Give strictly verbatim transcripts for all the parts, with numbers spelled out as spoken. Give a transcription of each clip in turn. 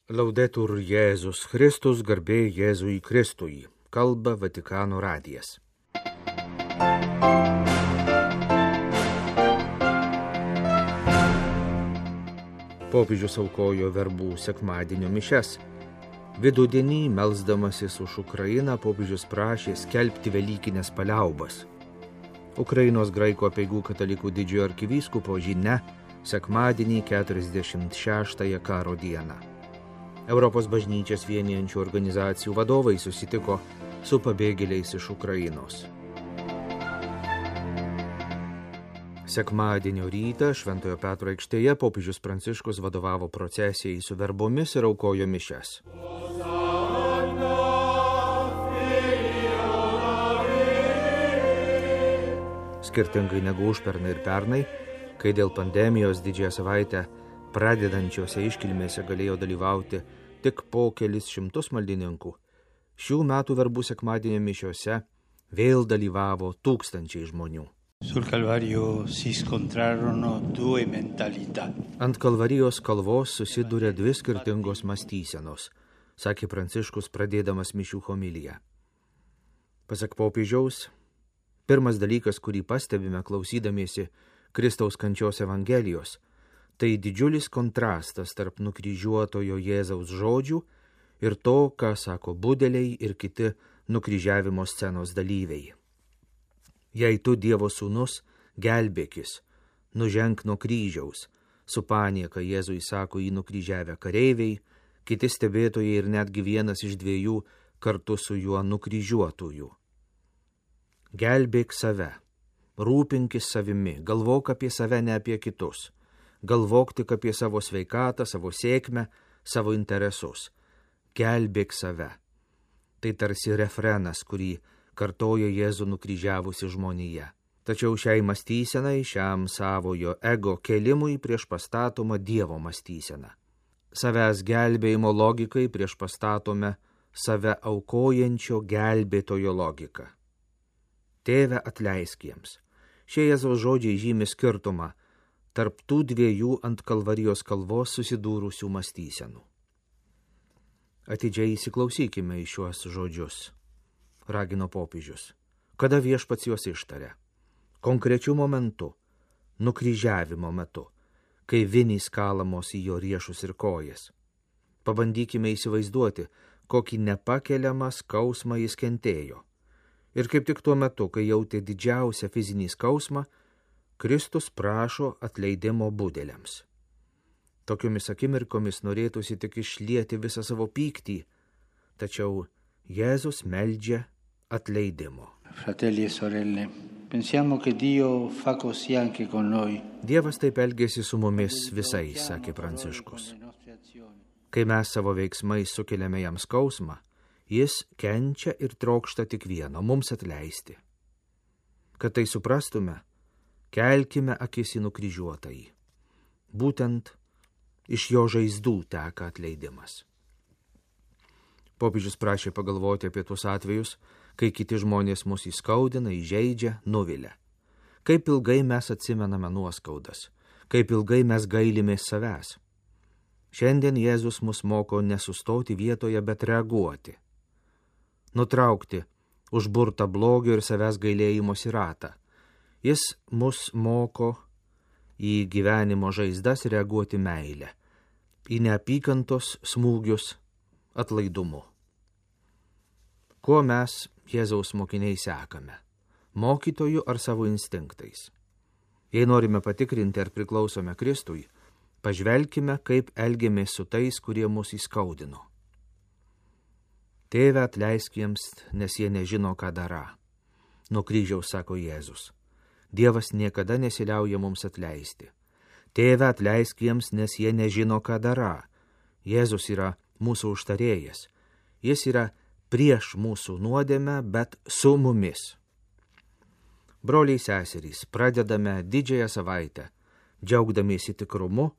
Laudetur Jėzus Kristus, garbė Jėzui Kristui, kalba Vatikano radijas. Popiežius aukojo verbų sekmadienio mišias. Vidudienį, melsdamasis už Ukrainą, popiežius prašė skelbti velykinės paliaubas. Ukrainos graikų apeigų katalikų didžiojo arkivyskupo žinia sekmadienį keturiasdešimt šeštąją karo dieną. Europos bažnyčias vienijančių organizacijų vadovai susitiko su pabėgėliais iš Ukrainos. Sekmadienio rytą Šventojo Petro aikštėje popiežius Pranciškus vadovavo procesijai su verbomis ir aukojo mišias. Skirtingai negu užpernai ir pernai, kai dėl pandemijos didžiąją savaitę pradedančiose iškilmėse galėjo dalyvauti tik po kelis šimtus maldininkų, šių metų verbų sekmadienio mišiose vėl dalyvavo tūkstančiai žmonių. Sul Calvario si scontrarono due mentalità. Ant Kalvarijos kalvos susidūrė dvi skirtingos mąstysenos, sakė Pranciškus pradėdamas mišių homiliją. Pasak popiežiaus, pirmas dalykas, kurį pastebime klausydamiesi Kristaus kančios evangelijos, tai didžiulis kontrastas tarp nukryžiuotojo Jėzaus žodžių ir to, ką sako budeliai ir kiti nukryžiavimo scenos dalyviai. Jei tu, Dievo sūnus, gelbėkis, nuženk nuo kryžiaus, su panieka Jėzui sako jį nukryžiavę kareiviai, kiti stebėtojai ir netgi vienas iš dviejų kartu su juo nukryžiuotųjų. Gelbėk save, rūpinkis savimi, galvok apie save, ne apie kitus. Galvok tik apie savo sveikatą, savo sėkmę, savo interesus. Gelbėk save. Tai tarsi refrenas, kurį kartojo Jėzų nukryžiavusi žmonija. Tačiau šiai mąstysenai, šiam savojo ego kelimui prieš pastatoma Dievo mąstysena. Savęs gelbėjimo logikai prieš pastatome save aukojančio gelbėtojo logiką. Tėve, atleisk jiems. Šie Jėzaus žodžiai žymi skirtumą tarp tų dviejų ant Kalvarijos kalvos susidūrusių mąstysenų. Atidžiai įsiklausykime į šiuos žodžius, ragino popiežius. Kada viešpats juos ištaria? Konkrečiu momentu, nukryžiavimo metu, kai vinys kalamos į jo riešus ir kojas. Pabandykime įsivaizduoti, kokį nepakeliamą skausmą jis kentėjo. Ir kaip tik tuo metu, kai jautė didžiausią fizinį skausmą, Kristus prašo atleidimo budeliams. Tokiomis akimirkomis norėtųsi tik išlieti visą savo pyktį, tačiau Jėzus meldžia atleidimo. Fratelli e sorelle, pensiamo che Dio fa così anche con noi. Dievas taip elgėsi su mumis visais, sakė Pranciškus. Kai mes savo veiksmais sukeliame jam skausmą, jis kenčia ir trokšta tik vieno, mums atleisti. Kad tai suprastume, kelkime akis į nukryžiuotąjį. Būtent iš jo žaizdų teka atleidimas. Popiežius prašė pagalvoti apie tuos atvejus, kai kiti žmonės mus įskaudina, įžeidžia, nuvilia. Kaip ilgai mes atsimename nuoskaudas, kaip ilgai mes gailimės savęs. Šiandien Jėzus mus moko nesustoti vietoje, bet reaguoti. Nutraukti užburtą blogio ir savęs gailėjimosi ratą. Jis mus moko į gyvenimo žaizdas reaguoti meilę, į neapykantos smūgius atlaidumu. Kuo mes Jėzaus mokiniai sekame? Mokytoju ar savo instinktais? Jei norime patikrinti, ar priklausome Kristui, pažvelkime, kaip elgiamės su tais, kurie mus įskaudino. Tėve, atleisk jiems, nes jie nežino, ką darą. Nuo kryžiaus sako Jėzus. Dievas niekada nesiliauja mums atleisti. Tėve, atleisk jiems, nes jie nežino, ką darą. Jėzus yra mūsų užtarėjas. Jis yra prieš mūsų nuodėmę, bet su mumis. Broliai seserys, pradedame didžiąją savaitę, džiaugdamiesi tikrumu,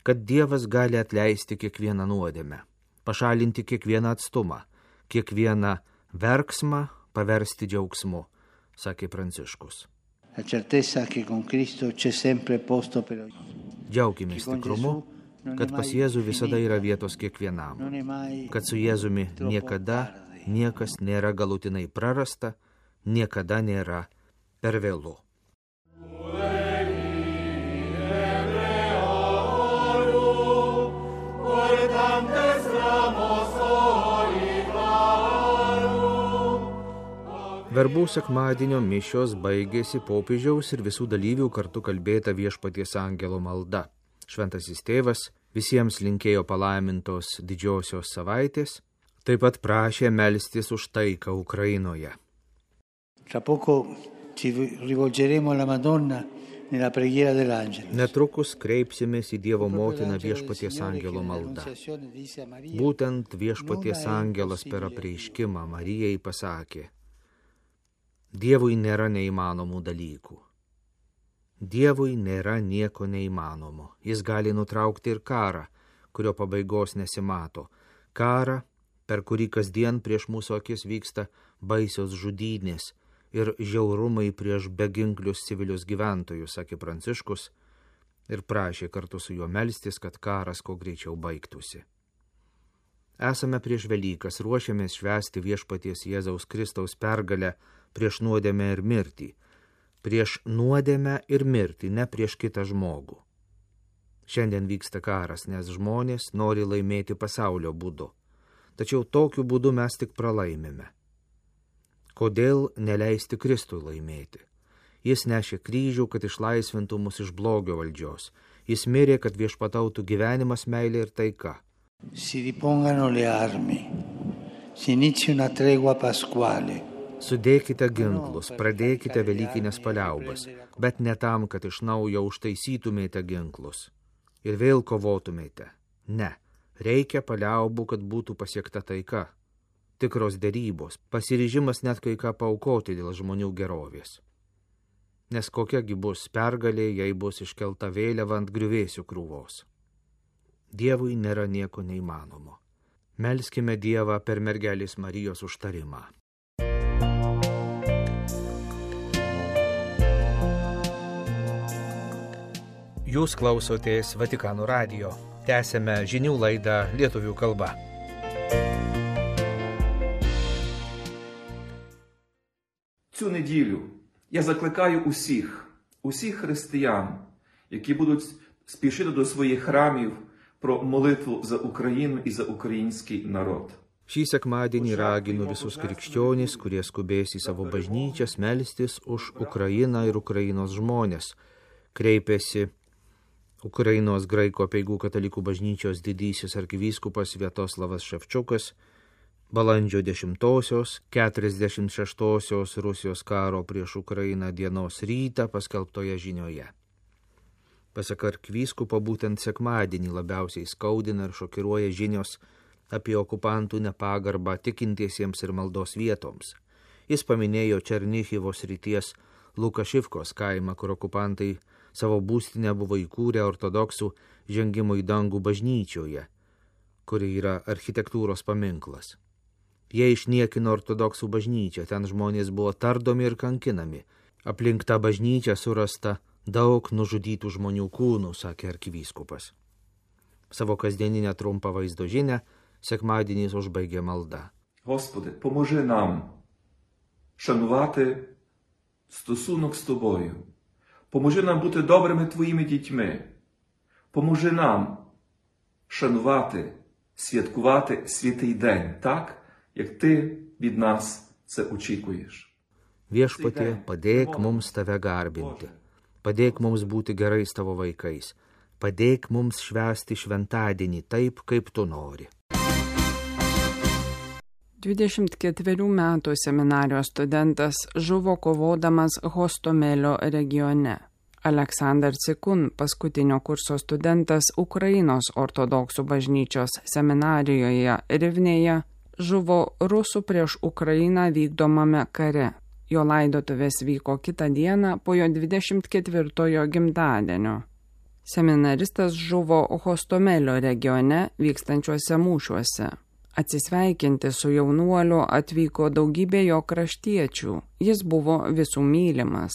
kad Dievas gali atleisti kiekvieną nuodėmę, pašalinti kiekvieną atstumą, kiekvieną verksmą paversti džiaugsmu, sakė Pranciškus. La certezza che con Cristo c'è sempre posto per ogni. Džiaukimės tikrumu, kad pas Jėzų visada yra vietos kiekvienam, kad su Jėzumi niekada niekas nėra galutinai prarasta, niekada nėra per vėlu. Verbų sekmadienio mišios baigėsi popiežiaus ir visų dalyvių kartu kalbėta Viešpaties angelo malda. Šventasis tėvas visiems linkėjo palaimintos didžiosios savaitės, taip pat prašė melstis už taiką Ukrainoje. Tra poco ci rivolgeremo alla Madonna nella preghiera dell'angelo. Netrukus kreipsimės į Dievo motiną Viešpaties angelo maldą. Būtent Viešpaties angelas per apreiškimą Marijai pasakė: Dievui nėra neįmanomų dalykų. Dievui nėra nieko neįmanomo. Jis gali nutraukti ir karą, kurio pabaigos nesimato. Karą, per kurį kasdien prieš mūsų akis vyksta baisios žudynės ir žiaurumai prieš beginklius civilius gyventojus, sakė Pranciškus, ir prašė kartu su juo melstis, kad karas kuo greičiau baigtųsi. Esame prieš Velykas, ruošiamės švęsti Viešpaties Jėzaus Kristaus pergalę prieš nuodėmę ir mirtį. Prieš nuodėmę ir mirtį, ne prieš kitą žmogų. Šiandien vyksta karas, nes žmonės nori laimėti pasaulio būdu. Tačiau tokiu būdu mes tik pralaimime. Kodėl neleisti Kristui laimėti? Jis nešė kryžių, kad išlaisvintų mus iš blogio valdžios. Jis mirė, kad viešpatautų gyvenimas, meilė ir taika. Si ripongano le armi, si inizi una tregua pasquale. Sudėkite ginklus, pradėkite velykinės paliaubas, bet ne tam, kad iš naujo užtaisytumėte ginklus ir vėl kovotumėte. Ne, reikia paliaubų, kad būtų pasiekta taika. Tikros derybos, pasiryžimas net kai ką paaukoti dėl žmonių gerovės. Nes kokiagi bus pergalė, jei bus iškelta vėliava ant griuvėsių krūvos. Dievui nėra nieko neįmanomo. Melskime Dievą per mergelės Marijos užtarimą. Jūs klausotės Vatikano radijo. Tęsėme žinių laidą lietuvių kalba. Цю неділю я закликаю усіх, усіх християн, які будуть спішити до своїх храмів, про молитву за Україну і за український народ. Šį sekmadienį raginu visus krikščionys, kurie skubės į savo bažnyčias, melstis už Ukrainą ir Ukrainos žmonės. Kreipėsi Ukrainos graikų apeigų katalikų bažnyčios didysis arkivyskupas Sviatoslavas Ševčiukas balandžio dešimtosios, keturiasdešimt šeštosios Rusijos karo prieš Ukrainą dienos rytą paskelbtoje žinioje. Pasak arkivyskupo, būtent sekmadienį labiausiai skaudina ir šokiruoja žinios apie okupantų nepagarbą tikintiesiems ir maldos vietoms. Jis paminėjo Černichivo srities Lukašivkos kaimą, kur okupantai savo būstinę buvo įkūrę ortodoksų žengimo į dangų bažnyčioje, kuri yra architektūros paminklas. Jie išniekino ortodoksų bažnyčią, ten žmonės buvo tardomi ir kankinami. Aplink tą bažnyčią surasta daug nužudytų žmonių kūnų, sakė arkivyskupas. Savo kasdieninę trumpą vaizdo žinią sekmadieniais užbaigė malda. Господи, поможи нам шанувати стосунок з Тобою. Поможи нам бути добрими Твоїми дітьми. Поможи нам шанувати, святкувати святий день, так, як Ти від нас це очікуєш. Viešpatie, padėk mums Tave garbinti. Padėk mums būti gerais Tavo vaikais. Padėk mums švęsti šventadienį taip, kaip Tu nori. dvidešimt ketverių metų seminarijos studentas žuvo kovodamas Hostomelio regione. Aleksandr Cikun, paskutinio kurso studentas Ukrainos ortodoksų bažnyčios seminarijoje Rivnėje, žuvo rusų prieš Ukrainą vykdomame kare. Jo laidotuvės vyko kitą dieną po jo dvidešimt ketvirtojo gimtadienio. Seminaristas žuvo Hostomelio regione vykstančiuose mūšiuose. Atsisveikinti su jaunuoliu atvyko daugybė jo kraštiečių. Jis buvo visų mylimas.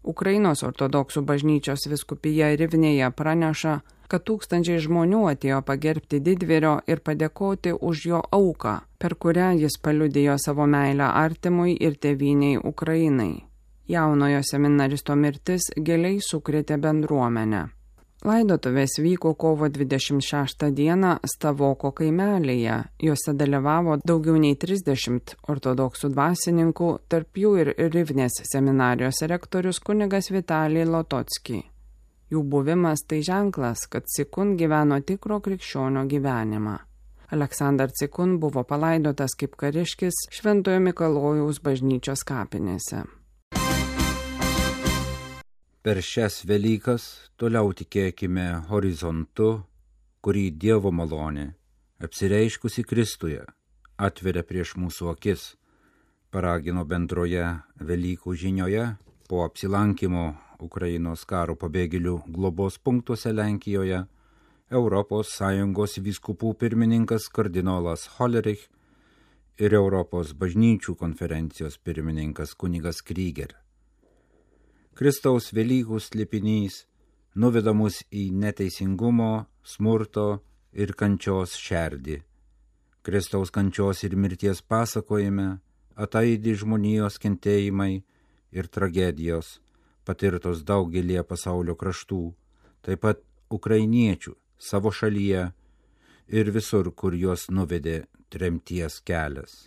Ukrainos ortodoksų bažnyčios vyskupija Rivnėje praneša, kad tūkstančiai žmonių atėjo pagerbti didvyrio ir padėkoti už jo auką, per kurią jis paliudijo savo meilę artimui ir tėvyniai Ukrainai. Jaunojo seminaristo mirtis giliai sukrėtė bendruomenę. Laidotuvės vyko kovo dvidešimt šeštą dieną Stavoko kaimelyje. Juose dalyvavo daugiau nei trisdešimt ortodoksų dvasininkų, tarp jų ir Rivnės seminarijos rektorius kunigas Vitalij Lototski. Jų buvimas tai ženklas, kad Cikun gyveno tikro krikščionio gyvenimą. Aleksandr Cikun buvo palaidotas kaip kariškis Šventojo Mikalojaus bažnyčios kapinėse. Per šias Velykas toliau tikėkime horizontu, kurį Dievo malonė, apsireiškusi Kristuje, atveria prieš mūsų akis, paragino bendroje Velykų žinioje po apsilankimo Ukrainos karo pabėgėlių globos punktuose Lenkijoje Europos Sąjungos vyskupų pirmininkas kardinolas Hollerich ir Europos bažnyčių konferencijos pirmininkas kunigas Kryger. Kristaus Velykų slėpinys nuveda mus į neteisingumo, smurto ir kančios šerdį. Kristaus kančios ir mirties pasakojime ataidi žmonijos kentėjimai ir tragedijos, patirtos daugelie pasaulio kraštų, taip pat ukrainiečių savo šalyje ir visur, kur juos nuvedė tremties kelias.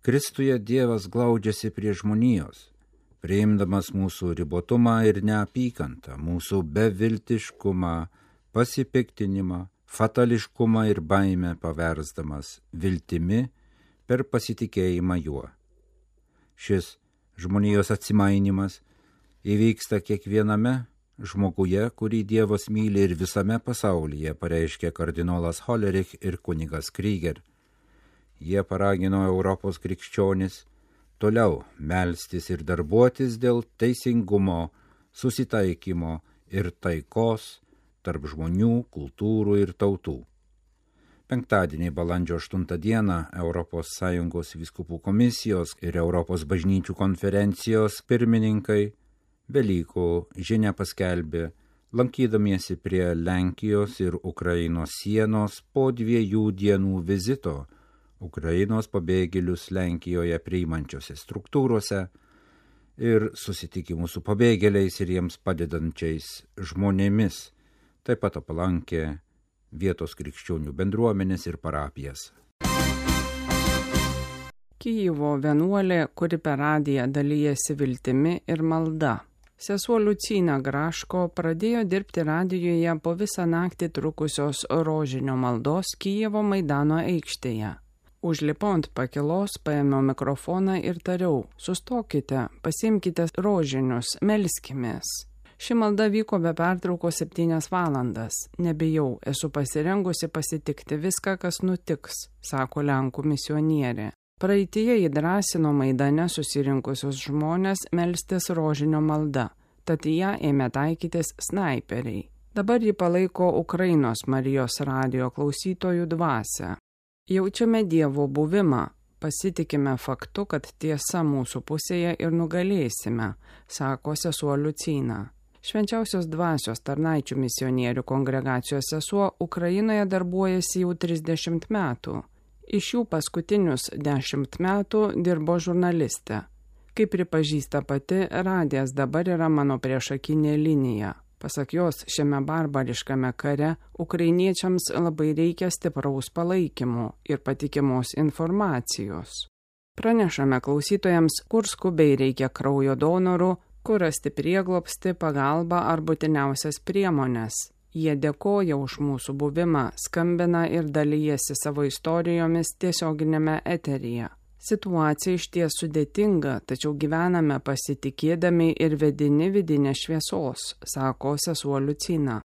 Kristuje Dievas glaudžiasi prie žmonijos, priimdamas mūsų ribotumą ir neapykantą, mūsų beviltiškumą, pasipiktinimą, fatališkumą ir baimę paversdamas viltimi per pasitikėjimą juo. Šis žmonijos atsimainimas įvyksta kiekviename žmoguje, kurį Dievas myli ir visame pasaulyje, pareiškė kardinolas Hollerich ir kunigas Kryger. Jie paragino Europos krikščionis toliau melstis ir darbuotis dėl teisingumo, susitaikymo ir taikos tarp žmonių, kultūrų ir tautų. Penktadienį balandžio aštuntą dieną Europos Sąjungos vyskupų komisijos ir Europos bažnyčių konferencijos pirmininkai Velykų žinią paskelbė, lankydamiesi prie Lenkijos ir Ukrainos sienos po dviejų dienų vizito Ukrainos pabėgėlius Lenkijoje priimančiose struktūrose ir susitikimų su pabėgėliais ir jiems padedančiais žmonėmis, taip pat aplankė vietos krikščionių bendruomenės ir parapijas. Kijevo vienuolė, kuri per radiją dalyjasi viltimi ir malda. Sesuo Liucina Graško pradėjo dirbti radijoje po visą naktį trukusios rožinio maldos Kijevo Maidano aikštėje. Užlipau ant pakilos, paėmiau mikrofoną ir tariau, sustokite, pasiimkite rožinius, melskimės. Ši malda vyko be pertraukos septynias valandas. Nebijau, esu pasirengusi pasitikti viską, kas nutiks, sako Lenkų misionierė. Praeityje įdrąsino Maidane susirinkusius žmonės melstis rožinio malda, tad ją ėmė taikytis snaiperiai. Dabar ji palaiko Ukrainos Marijos radijo klausytojų dvasią. Jaučiame Dievo buvimą, pasitikime faktu, kad tiesa mūsų pusėje ir nugalėsime, sako sesuo Liucina. Švenčiausios dvasios tarnaičių misionierių kongregacijos sesuo Ukrainoje darbuojasi jau trisdešimt metų. Iš jų paskutinius dešimt metų dirbo žurnalistė. Kaip pripažįsta pati, radijas dabar yra mano priešakinė linija. Pasak jos, šiame barbariškame kare ukrainiečiams labai reikia stipraus palaikymo ir patikimos informacijos. Pranešame klausytojams, kur skubiai reikia kraujo donorų, kur rasti prieglobstį, pagalbą ar būtiniausias priemones. Jie dėkoja už mūsų buvimą, skambina ir dalyjasi savo istorijomis tiesioginėme eteryje. Situacija išties sudėtinga, tačiau gyvename pasitikėdami ir vedini vidinės šviesos, sako sesuo Liucina.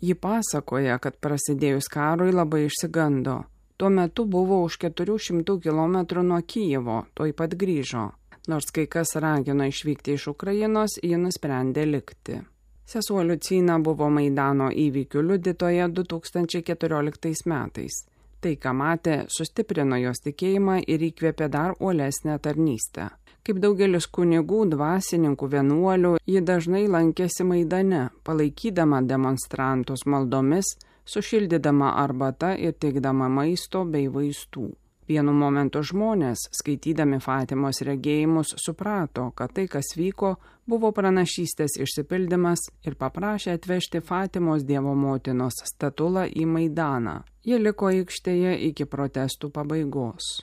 Ji pasakoja, kad prasidėjus karui labai išsigando. Tuo metu buvo už keturių šimtų kilometrų nuo Kijevo, tuoj pat grįžo. Nors kai kas ragino išvykti iš Ukrainos, ji nusprendė likti. Sesuo Liucina buvo Maidano įvykių liudytoja du tūkstančiai keturioliktais metais. Tai, ką matė, sustiprino jos tikėjimą ir įkvėpė dar uolesnę tarnystę. Kaip daugelis kunigų, dvasininkų, vienuolių, ji dažnai lankėsi Maidane, palaikydama demonstrantus maldomis, sušildydama arbata ir teikdama maisto bei vaistų. Vienu momentu žmonės, skaitydami Fatimos regėjimus, suprato, kad tai, kas vyko, buvo pranašystės išsipildymas ir paprašė atvežti Fatimos Dievo motinos statulą į Maidaną. Ji liko aikštėje iki protestų pabaigos.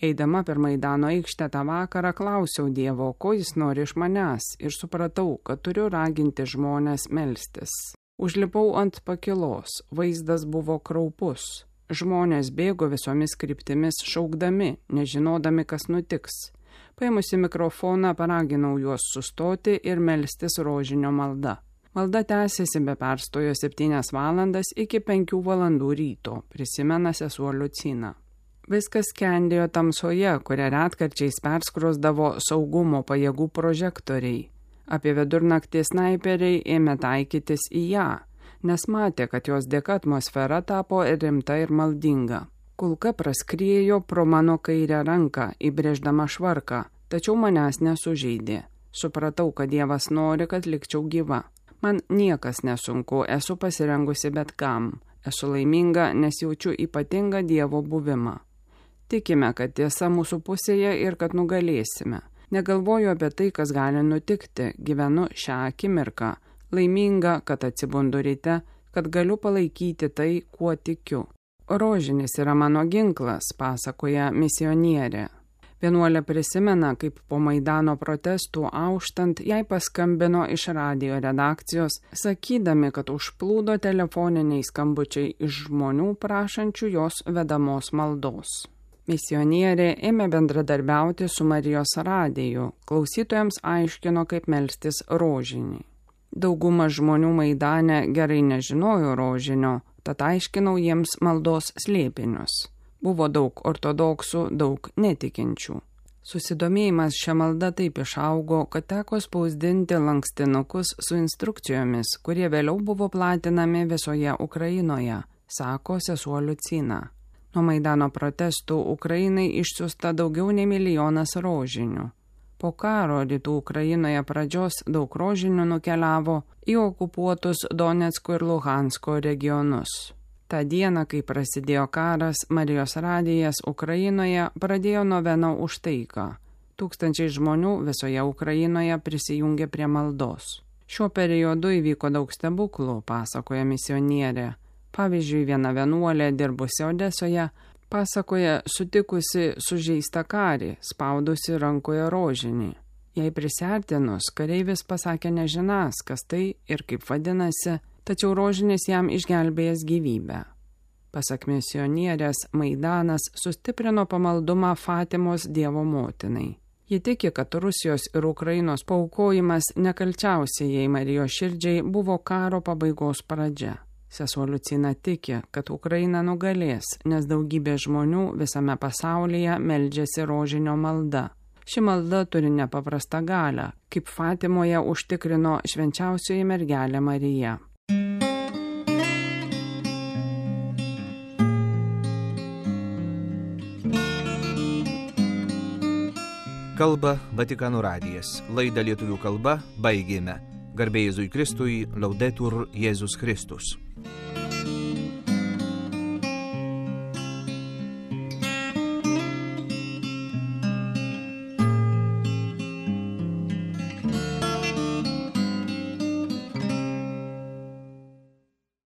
Eidama per Maidano aikštę tą vakarą klausiau Dievo, ko jis nori iš manęs, ir supratau, kad turiu raginti žmonės melstis. Užlipau ant pakilos, vaizdas buvo kraupus. Žmonės bėgo visomis kryptimis šaukdami, nežinodami, kas nutiks. Paėmusi mikrofoną, paraginau juos sustoti ir melstis rožinio malda. Malda tęsėsi be perstojo septynias valandas iki penkių valandų ryto, prisimena sesuo Liucina. Viskas skendėjo tamsoje, kurią retkarčiais perskrosdavo saugumo pajėgų prožektoriai. Apie vidurnaktį snaiperiai ėmė taikytis į ją, nes matė, kad jos dėka atmosfera tapo rimta ir maldinga. Kulka praskriejo pro mano kairę ranką, įbrėždama švarką, tačiau manęs nesužeidė. Supratau, kad Dievas nori, kad likčiau gyva. Man niekas nesunku, esu pasirengusi bet kam. Esu laiminga, nes jaučiu ypatingą Dievo buvimą. Tikime, kad tiesa mūsų pusėje ir kad nugalėsime. Negalvoju apie tai, kas gali nutikti, gyvenu šią akimirką. Laiminga, kad atsibundu ryte, kad galiu palaikyti tai, kuo tikiu. Rožinis yra mano ginklas, pasakoja misionierė. Vienuolė prisimena, kaip po Maidano protestų auštant jai paskambino iš radijo redakcijos, sakydami, kad užplūdo telefoniniai skambučiai iš žmonių prašančių jos vedamos maldos. Misionierė ėmė bendradarbiauti su Marijos radiju, klausytojams aiškino, kaip melstis rožinį. Dauguma žmonių Maidane gerai nežinojo rožinio, tad aiškinau jiems maldos slėpinius. Buvo daug ortodoksų, daug netikinčių. Susidomėjimas šią maldą taip išaugo, kad teko spausdinti lankstinukus su instrukcijomis, kurie vėliau buvo platinami visoje Ukrainoje, sako sesuo Liucina. Nuo Maidano protestų Ukrainai išsiųsta daugiau nei milijonas rožinių. Po karo rytų Ukrainoje pradžios daug rožinių nukeliavo į okupuotus Donecko ir Luhansko regionus. Ta diena, kai prasidėjo karas, Marijos radijas Ukrainoje pradėjo noveną už taiką. Tūkstančiai žmonių visoje Ukrainoje prisijungė prie maldos. Šiuo periodu įvyko daug stebuklų, pasakoja misionierė. Pavyzdžiui, viena vienuolė dirbusi Odesoje pasakoja sutikusi sužeistą karį, spaudusi rankoje rožinį. Jai prisiartinus, kareivis pasakė nežinas, kas tai ir kaip vadinasi, tačiau rožinis jam išgelbėjęs gyvybę. Pasak misionierės, Maidanas sustiprino pamaldumą Fatimos Dievo motinai. Ji tiki, kad Rusijos ir Ukrainos paaukojimas nekalčiausiai jai Marijos širdžiai buvo karo pabaigos pradžia. Sesuo Liucina tiki, kad Ukraina nugalės, nes daugybė žmonių visame pasaulyje meldžiasi rožinio malda. Ši malda turi nepaprastą galią, kaip Fatimoje užtikrino švenčiausioji mergelė Marija. Kalba Vatikano radijas. Laidą lietuvių kalba baigėme. Garbė Jėzui Kristui, Laudetur Jėzus Kristus.